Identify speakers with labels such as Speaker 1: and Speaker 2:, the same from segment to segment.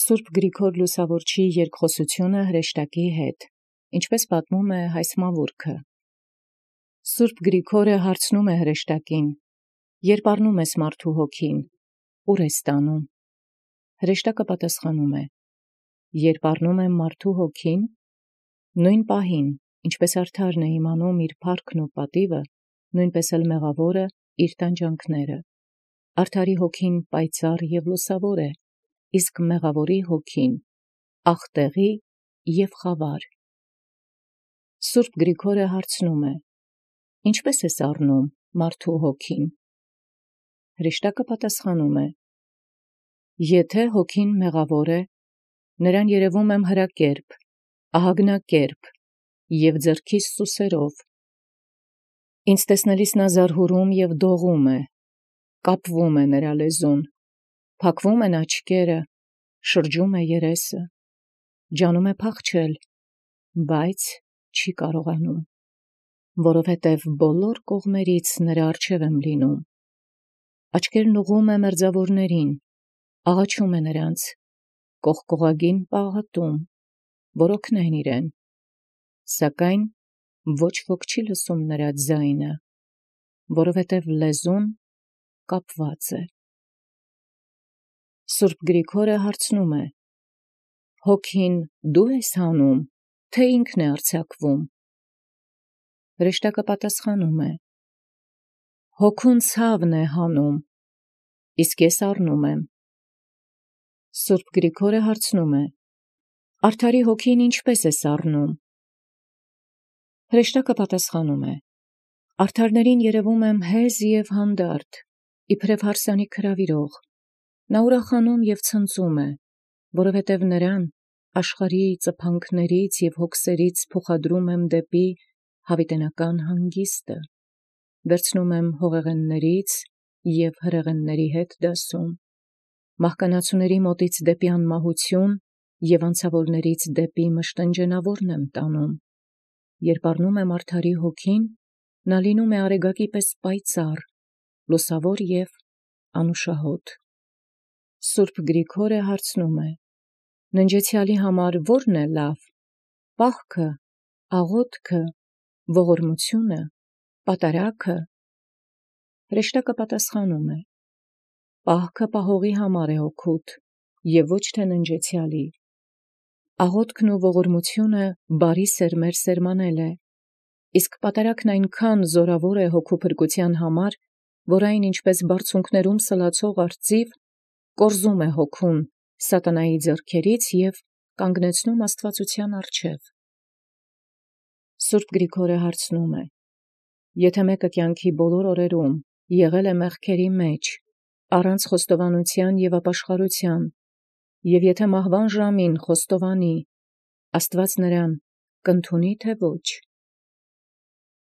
Speaker 1: Սուրբ Գրիգոր Լուսավորչի երկխոսությունը հրեշտակի հետ, ինչպես պատմում է հայ մավուռքը։ Սուրբ Գրիգորը հարցնում է հրեշտակին. «Երբ առնում ես մարդու հոգին, ուր ես տանում»։ Հրեշտակը պատասխանում է. «Երբ առնում եմ մարդու հոգին, նույն պահին, ինչպես արդարն է իմանում իր փառքն ու պատիվը, նույնպես էլ մեղավորը իր տանջանքները։ Արդարի հոգին պայծառ և լուսավոր է, իսկ մեղավորի հոգին աղտեղի և խավար»։ Սուրբ Գրիգորը հարցնում է. «Ինչպես ես առնում մարդու հոգին»։ Հրեշտակը պատասխանում է. «Եթե հոգին մեղավոր է, նրան երևում եմ հրակերպ, ահագնակերպ և ձեռքիս սուսերով։ Ինձ տեսնելիս նա զարհուրում և դողում է, կապվում է նրա լեզուն, փակվում են աչքերը, շրջում է երեսը, ջանում է փախչել, բայց չի կարողանում, որովհետև բոլոր կողմերից նրա առջև եմ լինում։ Աչքերն ուղղում է մերձավորներին, աղաչում է նրանց, կողկողագին պաղատում, որ օգնեն իրեն, սակայն ոչ ոք չի լսում նրա ձայնը, որովհետև լեզուն կապված է»։ Սուրբ Գրիգորը հարցնում է. «Հոգին դու ես հանում, թե ինքն է արձակվում»։ Հրեշտակը պատասխանում է. «Հոգուն ցավն է հանում, իսկ ես առնում եմ»։ Սուրբ Գրիգորը հարցնում է. «Արդարի հոգին ինչպես ես առնում»։ Հրեշտակը պատասխանում է. «Արդարներին երևում եմ հեզ և հանդարտ, իբրև հարսանիք հրավիրող։ Նա ուրախանում և ցնծում է, որովհետև նրան աշխարհի ծփանքներից և հոգսերից փոխադրում եմ դեպի հավիտենական հանգիստը, վերցնում եմ հողեղեններից և հրեղենների հետ դասում, մահկանացուների մոտից դեպի անմահություն և անցավորներից դեպի մշտնջենավորն եմ տանում։ Երբ առնում եմ արդարի հոգին, նա լինում է արեգակի պես պայծառ, լուսավոր և անուշահոտ»։ Սուրբ Գրիգորը հարցնում է. «Ննջեցյալի համար ո՞րն է լավ, պահքը, աղոթքը, ողորմությունը, պատարագը»։ Հրեշտակը պատասխանում է. «Պահքը պահողի համար է օգուտ և ոչ թե ննջեցյալի։ Աղոթքն ու ողորմությունը բարի սերմեր սերմանել է, իսկ պատարագն այնքան զորավոր է հոգու փրկության համար, որ այն ինչպես բարձունքներում սլացող արծիվ կորզում է հոգուն սատանայի ձեռքերից և կանգնեցնում աստվածության առջև»։ Սուրբ Գրիգորը հարցնում է. «Եթե մեկը կյանքի բոլոր օրերում եղել է մեղքերի մեջ, առանց խոստովանության և ապաշխարության, և եթե մահվան ժամին խոստովանի, Աստված նրան կընդունի թե ոչ»։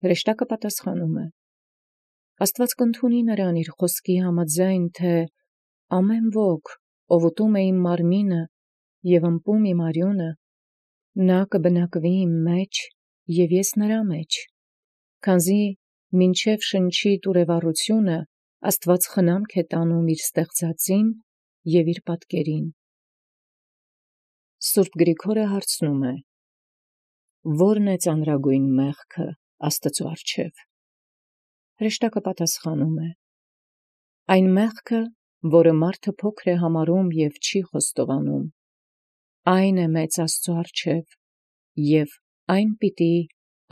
Speaker 1: Հրեշտակը պատասխանում է. «Աստված կընդունի նրան իր խոսքի համաձայն, թե ամեն ոք, ով ուտում է իմ մարմինը և ըմպում իմ արյունը, նա կբնակվի իմ մեջ և ես նրա մեջ, քանզի մինչև շնչի տուրևառությունը Աստված խնամք է տանում իր ստեղծածին և իր պատկերին»։ Սուրբ Գրիգորը հարցնում է. «Ո՞րն է ծանրագույն մեղքը Աստծու առջև»։ Հրեշտակը պատասխանում է. «Այն մեղքը, որը մարդը փոքր է համարում և չի խոստովանում, այն է մեծ Աստծու առջև, և այն պիտի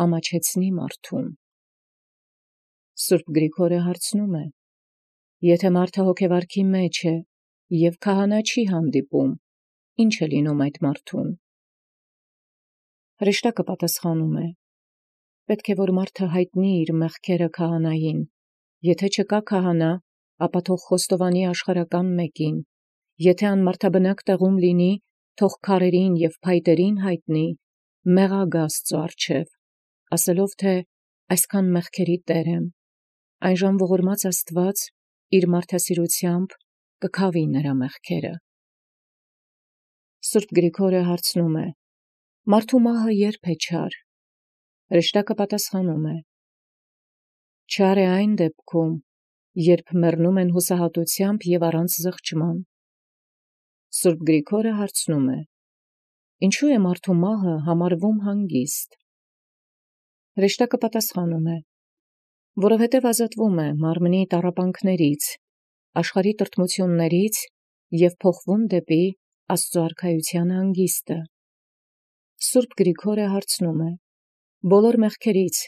Speaker 1: ամաչեցնի մարդուն»։ Սուրբ Գրիգորը հարցնում է. «Եթե մարդը հոգևարքի մեջ է և քահանա չի հանդիպում, ի՞նչ է լինում այդ մարդուն»։ Հրեշտակը պատասխանում է. «Պետք է, որ մարդը հայտնի իր մեղքերը քահանային, եթե չկա քահանա, ապա թող խոստովանի աշխարհական մեկին, եթե անմարդաբնակ տեղում լինի, թող քարերին և փայտերին հայտնի, մեղա գա Աստծու առջև, ասելով, թե այսքան մեղքերի տեր եմ, այնժամ ողորմած Աստված իր մարդասիրությամբ կքավի նրա մեղքերը»։ Սուրբ Գրիգորը հարցնում է. «Մարդու մահը ե՞րբ է չար»։ Հրեշտակը պատասխանում է. «Չար է այն դեպքում, երբ մեռնում են հուսահատությամբ և առանց զղջման։ Սուրբ Գրիգորը հարցնում է. Ինչու է մարդու մահը համարվում հանգիստ։ Հրեշտակը պատասխանում է. որովհետև ազատվում է մարմնի տառապանքներից, աշխարհի տրտմություններից և փոխվում դեպի Աստծո արքայության հանգիստը։ Սուրբ Գրիգորը հարցնում է. բոլոր մեղքերից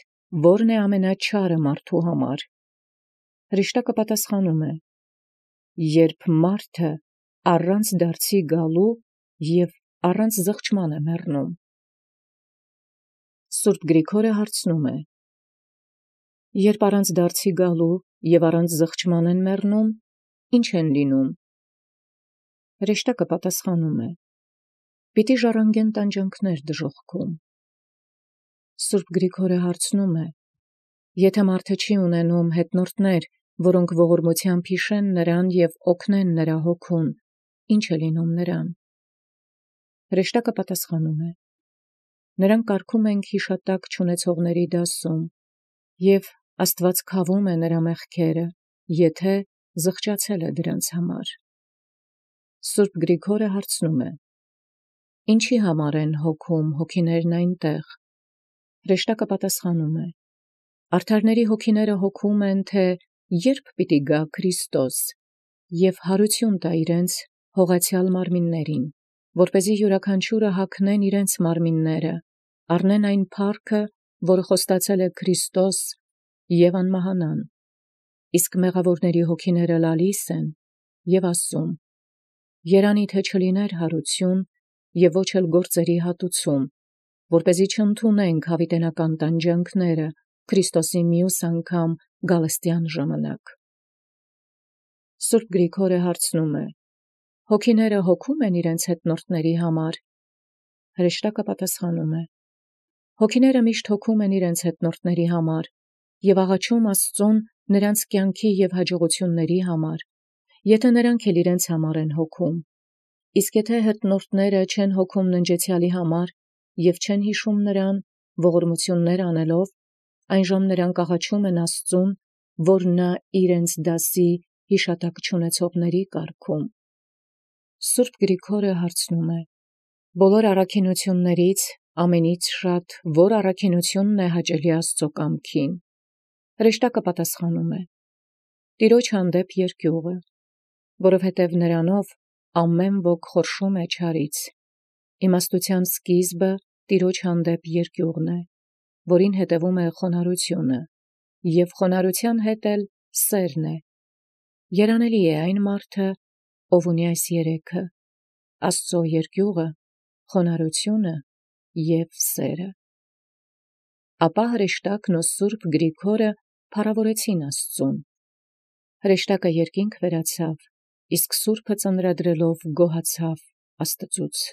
Speaker 1: ո՞րն է ամենաչարը մարդու համար։ Հրեշտակը պատասխանում է. երբ մարդը առանց դարձի գալու և առանց զղջման է մեռնում։ Սուրբ Գրիգորը հարցնում է. երբ առանց դարձի գալու և առանց զղջման են մեռնում, ի՞նչ են լինում։ Հրեշտակը պատասխանում է. պիտի ժառանգեն տանջանքներ դժոխքում։ Սուրբ Գրիգորը հարցնում է. եթե մարդը չի ունենում հետնորդներ, որոնք ողորմությամբ հիշեն նրան և օգնեն նրա հոգուն, ի՞նչ է լինում նրան։ Հրեշտակը պատասխանում է. նրան կարգում ենք հիշատակ չունեցողների դասում, և Աստված քավում է նրա մեղքերը, եթե զղջացել է դրանց համար։ Սուրբ Գրիգորը հարցնում է. ինչի համար են հոգում հոգիներն այնտեղ։ Հրեշտակը պատասխանում է. արդարների հոգիները հոգում են, թե երբ պիտի գա Քրիստոս և հարություն տա իրենց հողացյալ մարմիններին, որպեսզի յուրաքանչյուրը հագնեն իրենց մարմինները, առնեն այն փառքը, որը խոստացել է Քրիստոս, և անմահանան։ Իսկ մեղավորների հոգիները լալիս են և ասում. երանի թե չլիներ հարություն և ոչ էլ գործերի հատուցում, որպեսզի չընդունենք հավիտենական տանջանքները Քրիստոսի մյուս անգամ գալստյան ժամանակ։ Սուրբ Գրիգորը հարցնում է. հոգիները հոգում են իրենց հետնորդների համար։ Հրեշտակը պատասխանում է. հոգիները միշտ հոգում են իրենց հետնորդների համար և աղաչում Աստծուն նրանց կյանքի և հաջողությունների համար, եթե նրանք էլ իրենց համար են հոգում։ Իսկ եթե հետնորդները չեն հոգում ննջեցյալի համար և չեն հիշում նրան, ողորմություններ անելով, այնժամ նրանք աղաչում են Աստծուն, որ նա իրենց դասի հիշատակ չունեցողների կարգում։ Սուրբ Գրիգորը հարցնում է. բոլոր առաքինություններից ամենից շատ որ առաքինությունն է հաճելի Աստծո կամքին։ Հրեշտակը պատասխանում է. Տիրոջ հանդեպ երկյուղը, որովհետև նրանով ամեն ոք խորշում է չարից։ Իմաստության սկիզբը Տիրոջ հանդեպ երկյուղն է, որին հետևում է խոնարհությունը, և խոնարհության հետ էլ սերն է։ Երանելի է այն մարդը, ով ունի այս երեքը՝ Աստծո երկյուղը, խոնարհությունը և սերը։ Ապա հրեշտակն ու Սուրբ Գրիգորը փառավորեցին Աստծուն։ Հրեշտակը երկինք վերացավ, իսկ Սուրբը ծնրադրելով գոհացավ Աստծուց։